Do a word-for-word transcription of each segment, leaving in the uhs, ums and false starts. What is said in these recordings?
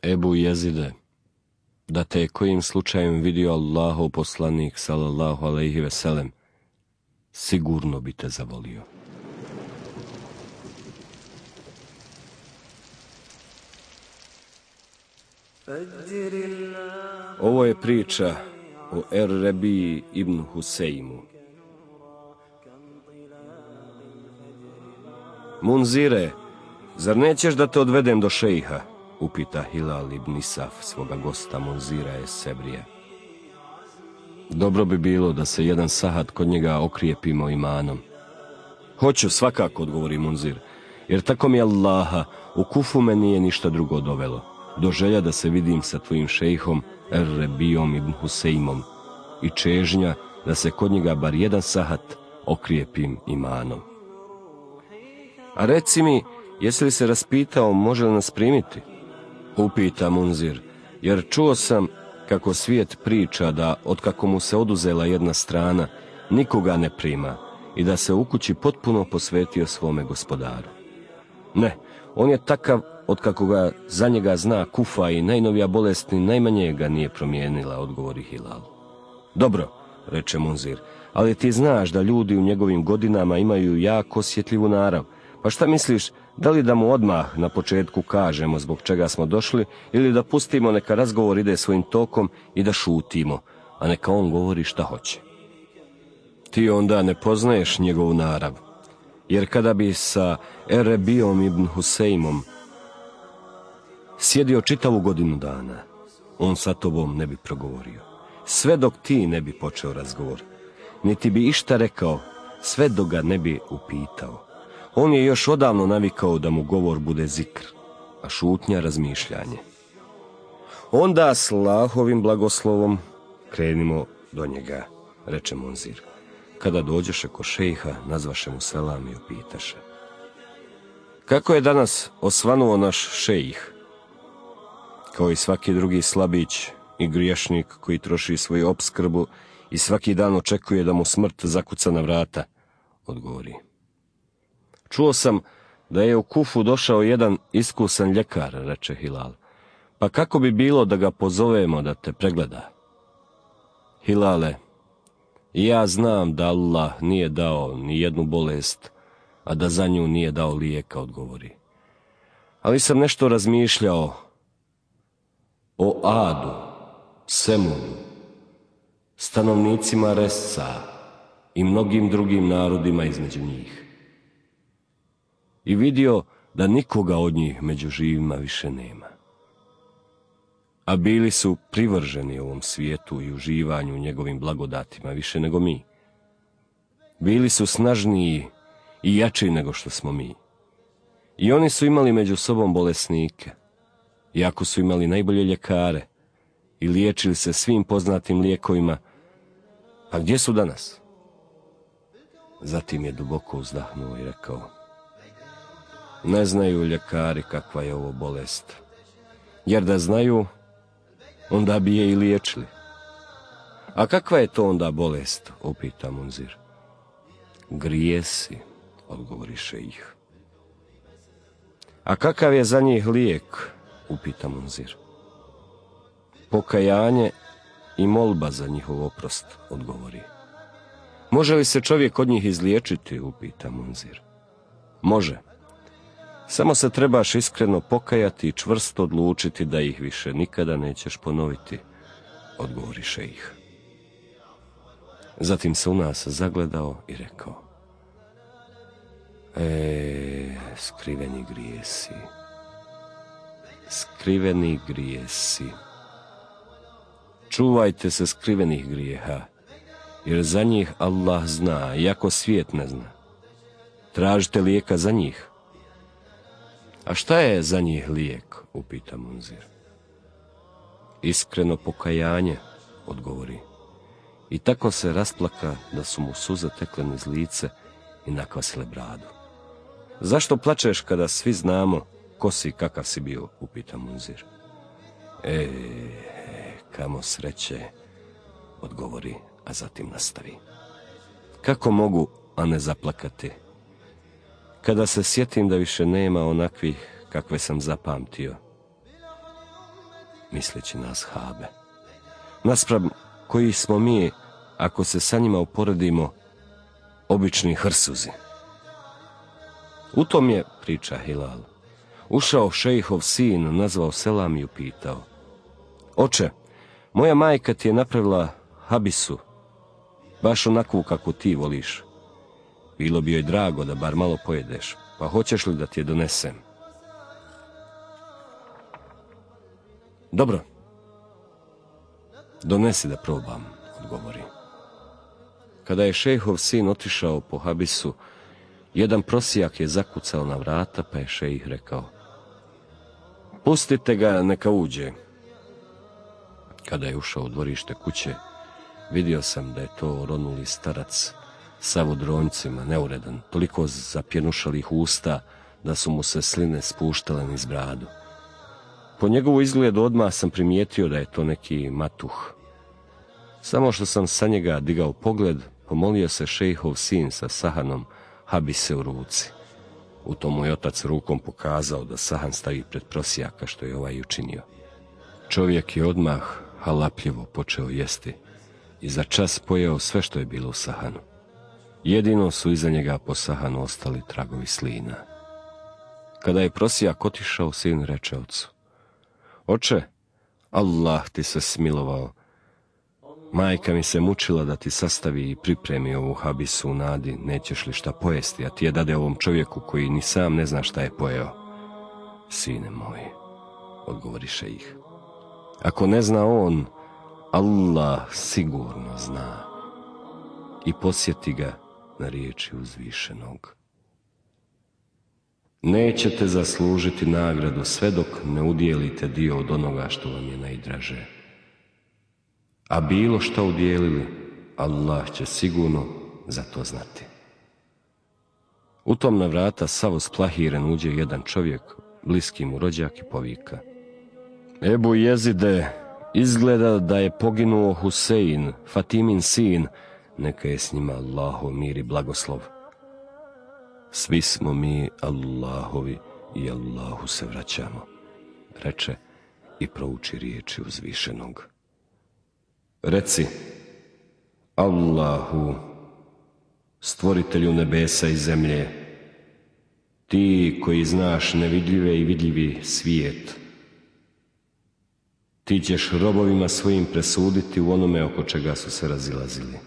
Ebu Jezide, da te je kojim slučajem vidio Allahov poslanik, sallallahu alejhi ve sellem, sigurno bi te zavolio. Ovo je priča o Er-Rebiji ibn Husejmu. Munzire, zar nećeš da te odvedem do šejha? Upita Hilal ibn Isaf svoga gosta Munzira es Sebrija. Dobro bi bilo da se jedan sahat kod njega okrijepimo imanom. Hoću, svakako, odgovori Munzir, jer tako mi Allaha, u Kufu me nije ništa drugo dovelo, do želja da se vidim sa tvojim šejhom Er-Rebijom ibn Husejmom i čežnja da se kod njega bar jedan sahat okrijepim imanom. A reci mi, jesi li se raspitao može li nas primiti? Upita Munzir, jer čuo sam kako svijet priča da otkako mu se oduzela jedna strana, nikoga ne prima i da se u kući potpuno posvetio svome gospodaru. Ne, on je takav otkako ga za njega zna Kufa i najnovija bolest ni najmanje ga nije promijenila, odgovori Hilal. Dobro, reče Munzir, ali ti znaš da ljudi u njegovim godinama imaju jako osjetljivu narav. Pa šta misliš, da li da mu odmah na početku kažemo zbog čega smo došli ili da pustimo neka razgovor ide svojim tokom i da šutimo, a neka on govori šta hoće? Ti onda ne poznaješ njegovu narav, jer kada bi sa Er-Rebijom ibn Husejmom sjedio čitavu godinu dana, on sa tobom ne bi progovorio, sve dok ti ne bi počeo razgovor, niti bi išta rekao, sve dok ga ne bi upitao. On je još odavno navikao da mu govor bude zikr, a šutnja razmišljanje. Onda s Allahovim blagoslovom krenimo do njega, reče Munzir. Kada dođeše ko šejha, nazvaše mu selam i upitaše: kako je danas osvanuo naš šejih? Kao i svaki drugi slabić i griješnik koji troši svoju opskrbu i svaki dan očekuje da mu smrt zakuca na vrata, odgovori. Čuo sam da je u Kufu došao jedan iskusan ljekar, reče Hilal, pa kako bi bilo da ga pozovemo da te pregleda? Hilale, ja znam da Allah nije dao ni jednu bolest, a da za nju nije dao lijeka, odgovori. Ali sam nešto razmišljao o Adu, Semudu, stanovnicima Resca i mnogim drugim narodima između njih. I vidio da nikoga od njih među živima više nema. A bili su privrženi ovom svijetu i uživanju njegovim blagodatima više nego mi. Bili su snažniji i jači nego što smo mi. I oni su imali među sobom bolesnike, iako su imali najbolje ljekare i liječili se svim poznatim lijekovima. A gdje su danas? Zatim je duboko uzdahnuo i rekao: ne znaju ljekari kakva je ovo bolest, jer da znaju, onda bi je i liječili. A kakva je to onda bolest, upita Munzir. Grijesi, odgovori šejih. A kakav je za njih lijek, upita Munzir. Pokajanje i molba za njihov oprost, odgovori. Može li se čovjek od njih izliječiti, upita Munzir. Može. Samo se trebaš iskreno pokajati i čvrsto odlučiti da ih više nikada nećeš ponoviti, odgovori šejih. Zatim se u nas zagledao i rekao: E, skriveni grijesi, skriveni grijesi. Čuvajte se skrivenih grijeha, jer za njih Allah zna, iako svijet ne zna. Tražite lijeka za njih. A šta je za njih lijek, upita Munzir. Iskreno pokajanje, odgovori. I tako se rasplaka da su mu suze tekle niz lice i nakvasile bradu. Zašto plačeš kada svi znamo ko si i kakav si bio, upita Munzir. E, kamo sreće, odgovori, a zatim nastavi. Kako mogu, a ne zaplakati, kada se sjetim da više nema onakvih kakve sam zapamtio? misleći na ashabe, naspram koji smo mi, ako se sa njima uporedimo, obični hrsuzi. U tom je, priča Hilal, ušao šejhov sin, nazvao selam i upitao: Oče, moja majka ti je napravila habisu, baš onakvu kako ti voliš. Bilo bi joj drago da bar malo pojedeš, pa hoćeš li da ti je donesem? Dobro, donesi da probam, odgovori. Kada je šejhov sin otišao po habisu, jedan prosijak je zakucao na vrata, pa je šejih rekao: Pustite ga, neka uđe. Kada je ušao u dvorište kuće, vidio sam da je to oronuli starac, sav u dronjcima, neuredan, toliko zapjenušalih usta da su mu se sline spuštale niz bradu. Po njegovu izgledu odmah sam primijetio da je to neki matuh. Samo što sam sa njega digao pogled, pomolio se šejhov sin sa sahanom habise u ruci. U tom mu je otac rukom pokazao da sahan stavi pred prosijaka, što je ovaj učinio. Čovjek je odmah halapljivo počeo jesti i za čas pojeo sve što je bilo u sahanu. Jedino su iza njega po sahanu ostali tragovi slina. Kada je prosijak otišao, sin reče ocu: Oče, Allah ti se smilovao. Majka mi se mučila da ti sastavi i pripremi ovu habisu u nadi, nećeš li šta pojesti, a ti je dade ovom čovjeku koji ni sam ne zna šta je pojeo. Sine moj, odgovori šejih, ako ne zna on, Allah sigurno zna. I posjeti ga na riječi uzvišenog: Nećete zaslužiti nagradu sve dok ne udijelite dio od onoga što vam je najdraže. A bilo što udijelili, Allah će sigurno za to znati. U tom na vrata sav splahiren uđe jedan čovjek, bliski mu rođak, i povika: Ebu Jezide, izgleda da je poginuo Husein, Fatimin sin, neka je s njima Allahov mir i blagoslov. Svi smo mi Allahovi i Allahu se vraćamo, reče i prouči riječi uzvišenog. Reci: Allahu, stvoritelju nebesa i zemlje, ti koji znaš nevidljive i vidljivi svijet, ti ćeš robovima svojim presuditi u onome oko čega su se razilazili.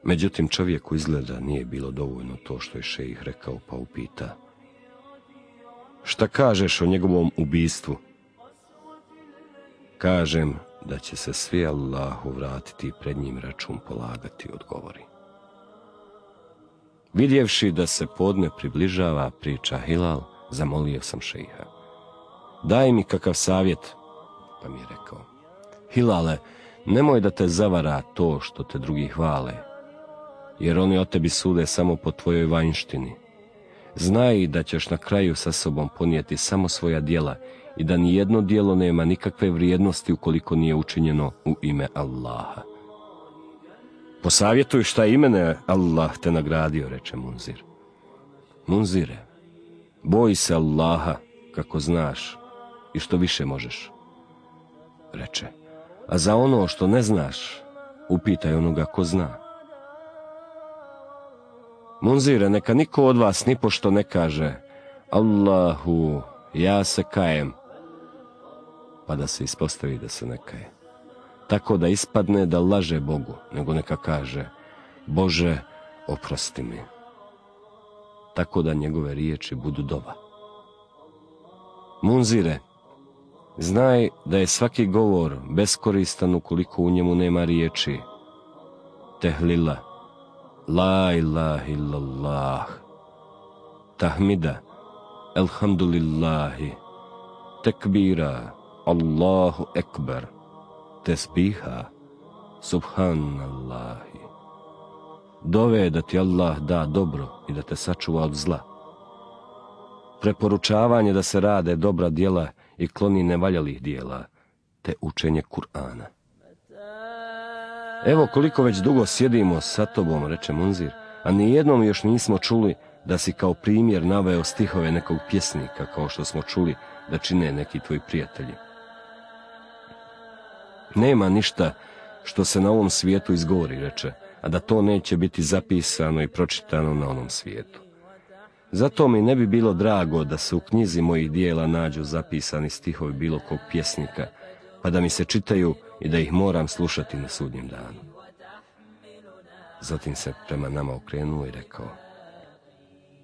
Međutim, čovjeku izgleda nije bilo dovoljno to što je šejih rekao, pa upita: Šta kažeš o njegovom ubistvu? Kažem da će se svi Allahu vratiti i pred njim račun polagati, odgovori. Vidjevši da se podne približava, priča Hilal, zamolio sam šejha: Daj mi kakav savjet, pa mi je rekao: Hilale, nemoj da te zavara to što te drugi hvale, jer oni o tebi sude samo po tvojoj vanjštini. Znaj da ćeš na kraju sa sobom ponijeti samo svoja djela i da nijedno djelo nema nikakve vrijednosti ukoliko nije učinjeno u ime Allaha. Posavjetuj šta imene Allah te nagradio, reče Munzir. Munzire, boj se Allaha kako znaš i što više možeš, reče, a za ono što ne znaš, upitaj onoga ko zna. Munzire, neka niko od vas nipošto ne kaže: Allahu, ja se kajem, pa da se ispostavi da se ne kaje. Tako da ispadne da laže Bogu, nego neka kaže: Bože, oprosti mi. Tako da njegove riječi budu dova. Munzire, znaj da je svaki govor beskoristan ukoliko u njemu nema riječi tehlila, la ilaha illallah, tahmida, elhamdulillahi, tekbira, Allahu ekber, tesbiha, subhanallahi. Dove da ti Allah da dobro i da te sačuva od zla. Preporučavanje da se rade dobra djela i kloni nevaljalih djela, te učenje Kur'ana. Evo koliko već dugo sjedimo sa tobom, reče Munzir, a nijednom još nismo čuli da si kao primjer naveo stihove nekog pjesnika, kao što smo čuli da čine neki tvoji prijatelji. Nema ništa što se na ovom svijetu izgovori, reče, a da to neće biti zapisano i pročitano na onom svijetu. Zato mi ne bi bilo drago da se u knjizi mojih dijela nađu zapisani stihovi bilo kog pjesnika, pa da mi se čitaju i da ih moram slušati na sudnjem danu. Zatim se prema nama okrenuo i rekao: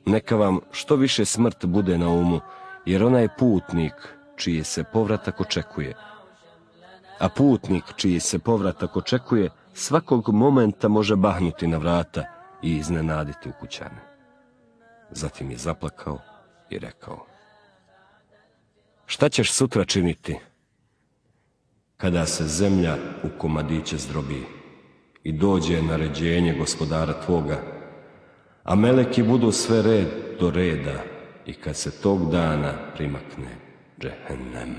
neka vam što više smrt bude na umu, jer ona je putnik čiji se povratak očekuje. A putnik čiji se povratak očekuje svakog momenta može bahnuti na vrata i iznenaditi ukućane. Zatim je zaplakao i rekao: šta ćeš sutra činiti kada se zemlja u komadiće zdrobi i dođe naređenje gospodara tvoga, a meleki budu sve red do reda i kad se tog dana primakne džehennem.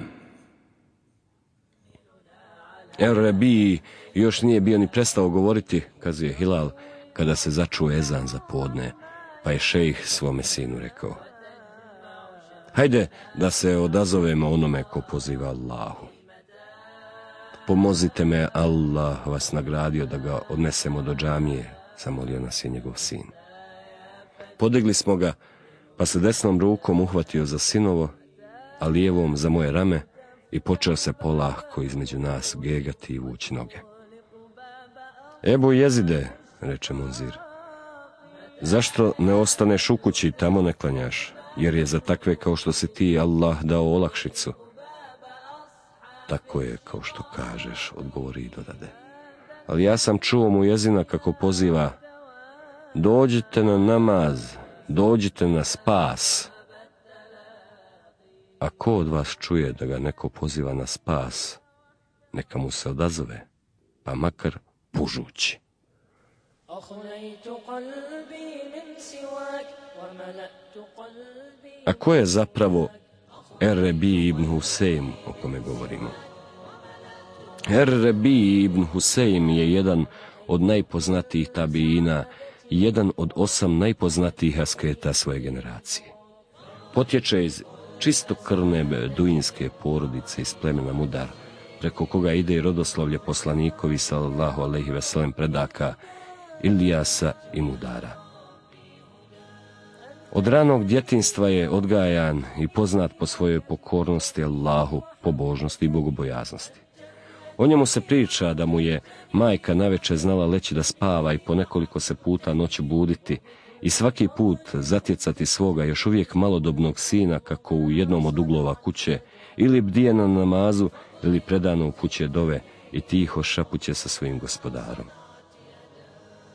Er-Rebiji još nije bio ni prestao govoriti, kazuje Hilal, kada se začuo ezan za podne, pa je šejh svome sinu rekao: hajde da se odazovemo onome ko poziva Allahu. Pomozite me, Allah vas nagradio da ga odnesemo do džamije, zamolio nas je njegov sin. Podigli smo ga, pa se desnom rukom uhvatio za sinovo, a lijevom za moje rame i počeo se polahko između nas gegati i vući noge. Ebu Jezide, reče Munzir, zašto ne ostaneš u kući i tamo ne klanjaš, jer je za takve kao što si ti Allah dao olakšicu. Tako je kao što kažeš, odgovori i dodade. Ali ja sam čuo mu jezina kako poziva: dođite na namaz, dođite na spas. A ko od vas čuje da ga neko poziva na spas, neka mu se odazove, pa makar pužući. A ko je zapravo Er-Rebi ibn Husein, o kome govorimo? Er-Rebi ibn Husein je jedan od najpoznatijih tabiina i jedan od osam najpoznatijih asketa svoje generacije. Potječe iz čistokrvne beduinske porodice iz plemena Mudar, preko koga ide i rodoslovlje poslanikovi sallallahu alejhi ve sellem predaka Ilijasa i Mudara. Od ranog djetinjstva je odgajan i poznat po svojoj pokornosti Allahu, pobožnosti i bogobojaznosti. O njemu se priča da mu je majka navečer znala leći da spava i po nekoliko se puta noću buditi i svaki put zatjecati svoga još uvijek malodobnog sina kako u jednom od uglova kuće ili bdije na namazu ili predano u kuće dove i tiho šapuće sa svojim gospodarom.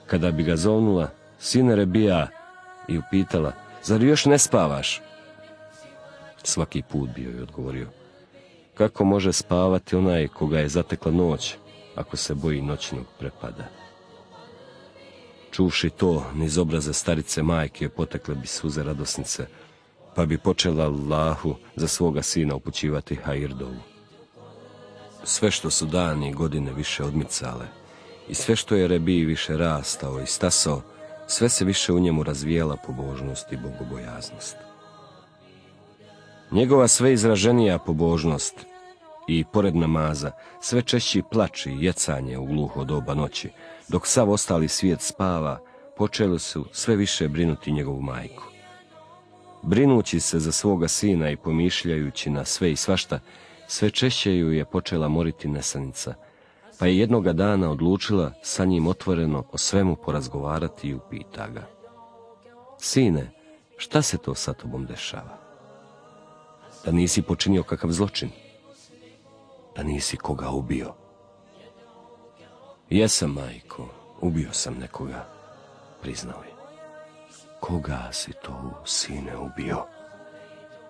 Kada bi ga zovnula: sine Rebija, i upitala: zar još ne spavaš? Svaki put bio je odgovorio: kako može spavati onaj koga je zatekla noć, ako se boji noćnog prepada? Čuvši to, niz obraza starice majke potekle bi suze radosnice, pa bi počela Allahu za svoga sina upućivati hajirdovu. Sve što su dani i godine više odmicale i sve što je Rebiji više rastao i stasao, sve se više u njemu razvijela pobožnost i bogobojaznost. Njegova sve izraženija pobožnost i, pored namaza, sve češći plač i jecanje u gluho doba noći, dok sav ostali svijet spava, počeli su sve više brinuti njegovu majku. Brinući se za svoga sina i pomišljajući na sve i svašta, sve češće ju je počela moriti nesanica, pa je jednoga dana odlučila sa njim otvoreno o svemu porazgovarati i upita ga: sine, šta se to sa tobom dešava? Da nisi počinio kakav zločin? Da nisi koga ubio? Jesam, majko, ubio sam nekoga, priznao je. Koga si to, sine, ubio?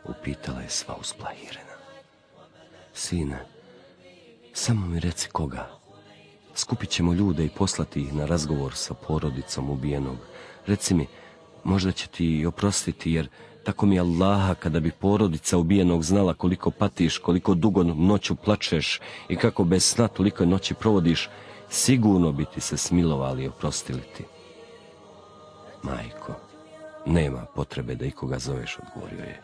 Upitala je sva usplahirena. Sine, samo mi reci koga. Skupit ćemo ljude i poslati ih na razgovor sa porodicom ubijenog. Reci mi, možda će ti oprostiti, jer tako mi Allaha, kada bi porodica ubijenog znala koliko patiš, koliko dugo noću plačeš i kako bez sna toliko noći provodiš, sigurno bi ti se smilovali i oprostili ti. Majko, nema potrebe da ikoga zoveš, odgovorio je.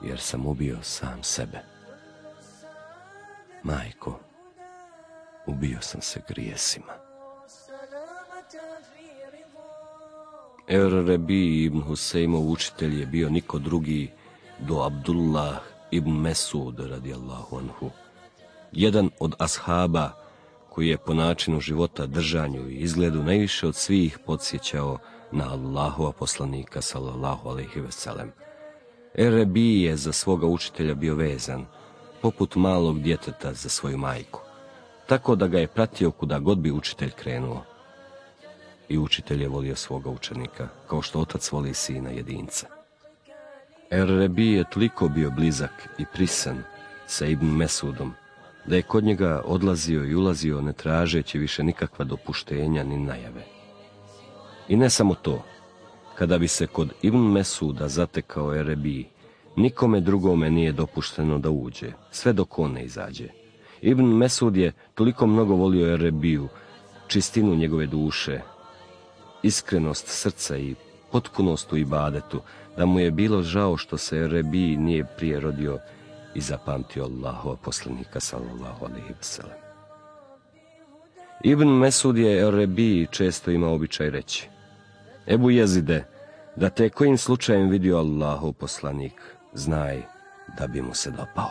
jer sam ubio sam sebe. Majko, ubio sam se grijesima. Er-Rebi ibn Husejmov učitelj je bio niko drugi do Abdullah ibn Mesud radijallahu anhu, jedan od ashaba koji je po načinu života, držanju i izgledu najviše od svih podsjećao na Allahova poslanika sallallahu alejhi ve sellem. Er-Rebi je za svoga učitelja bio vezan, poput malog djeteta za svoju majku, tako da ga je pratio kuda god bi učitelj krenuo. I učitelj je volio svoga učenika, kao što otac voli sina jedinca. Er-Rebi je toliko bio blizak i prisan sa Ibn Mesudom, da je kod njega odlazio i ulazio ne tražeći više nikakva dopuštenja ni najave. I ne samo to, kada bi se kod Ibn Mesuda zatekao Er-Rebi, nikome drugome nije dopušteno da uđe, sve dok on ne izađe. Ibn Mesud je toliko mnogo volio Er-Rebiju, čistinu njegove duše, iskrenost srca i potpunost u ibadetu, da mu je bilo žao što se Er-Rebi nije prije rodio i zapamtio Allahova poslanika sallallahu alejhi ve sellem. Ibn Mesud je Er-Rebi često imao običaj reći: Ebu Jezide, da te kojim slučajem vidio Allahov poslanik, znaj da bi mu se dopao.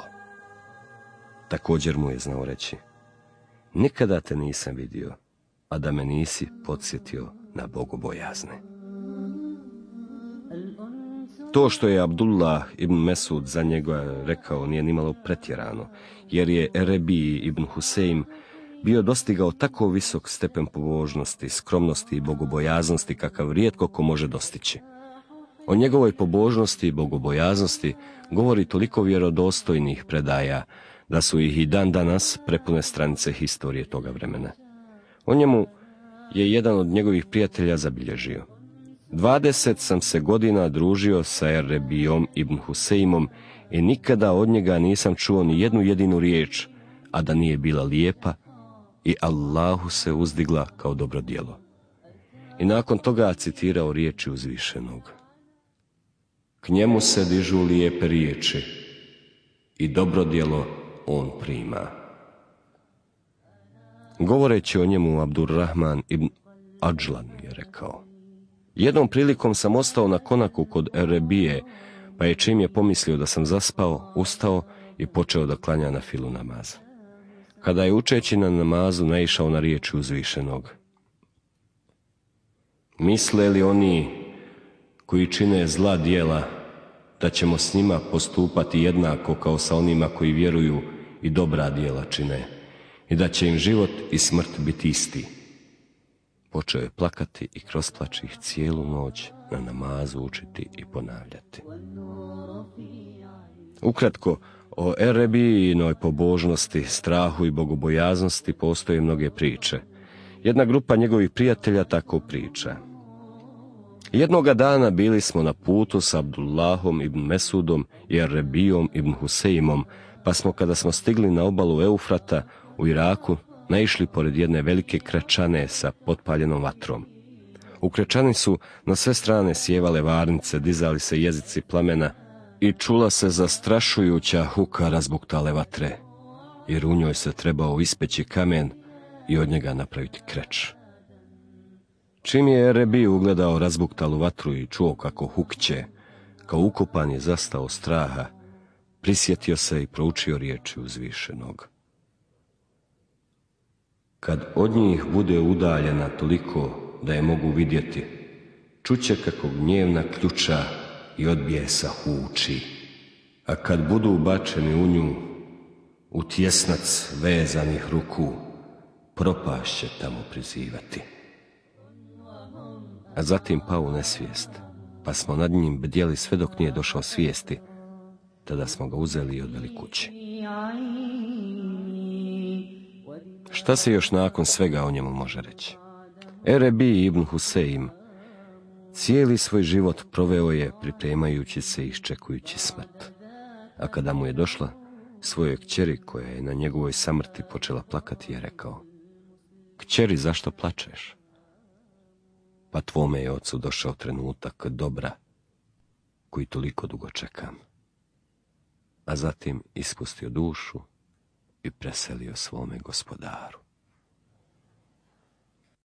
Također mu je znao reći: nikada te nisam vidio, a da me nisi podsjetio na bogobojazne. To što je Abdullah ibn Mesud za njega rekao nije nimalo pretjerano, jer je Er-Rebi ibn Husejm bio dostigao tako visok stepen pobožnosti, skromnosti i bogobojaznosti kakav rijetko ko može dostići. O njegovoj pobožnosti i bogobojaznosti govori toliko vjerodostojnih predaja da su ih i dan danas prepune stranice historije toga vremena. O njemu je jedan od njegovih prijatelja zabilježio: dvadeset sam se godina družio sa Er-Rebijom ibn Husejmom i nikada od njega nisam čuo ni jednu jedinu riječ, a da nije bila lijepa i Allahu se uzdigla kao dobro djelo. I nakon toga citirao riječi uzvišenog: k njemu se dižu lijepe riječi i dobro djelo on prima. Govoreći o njemu, Abdurrahman ibn Adžlan je rekao: jednom prilikom sam ostao na konaku kod Er-Rebije, pa je čim je pomislio da sam zaspao, ustao i počeo da klanja na filu namaz. Kada je učeći na namazu naišao na riječi uzvišenog: misle li oni koji čine zla djela da ćemo s njima postupati jednako kao sa onima koji vjeruju i dobra djela čine, i da će im život i smrt biti isti? Počeo je plakati i kroz plač ih cijelu noć na namazu učiti i ponavljati. Ukratko, o Er-Rebijinoj pobožnosti, strahu i bogobojaznosti postoje mnoge priče. Jedna grupa njegovih prijatelja tako priča: jednoga dana bili smo na putu s Abdullahom ibn Mesudom i Er-Rebijom ibn Husejmom, pa smo, kada smo stigli na obalu Eufrata u Iraku, naišli pored jedne velike krečane sa potpaljenom vatrom. U krečani su na sve strane sjevale varnice, dizali se jezici plamena i čula se zastrašujuća huka razbuktale vatre, jer u njoj se trebao ispeći kamen i od njega napraviti kreč. Čim je Er-Rebi ugledao razbuktalu vatru i čuo kako hukće, kao ukopan je zastao straha, prisjetio se i proučio riječi uzvišenog: kad od njih bude udaljena toliko da je mogu vidjeti, čuće kako gnjevna ključa i od bijesa huči, a kad budu ubačeni u nju, u tjesnac vezanih ruku, propast će tamo prizivati. A zatim pao u nesvijest, pa smo nad njim bdjeli sve dok nije došao svijesti, tada smo ga uzeli i odveli kući. Šta se još nakon svega o njemu može reći? Er-Rebi ibn Husejm cijeli svoj život proveo je pripremajući se i iščekujući smrt. A kada mu je došla, svojoj kćeri koja je na njegovoj samrti počela plakati, je rekao: kćeri, zašto plačeš? Pa tvome je ocu došao trenutak dobra koji toliko dugo čekam. a zatim ispustio dušu i preselio svome gospodaru.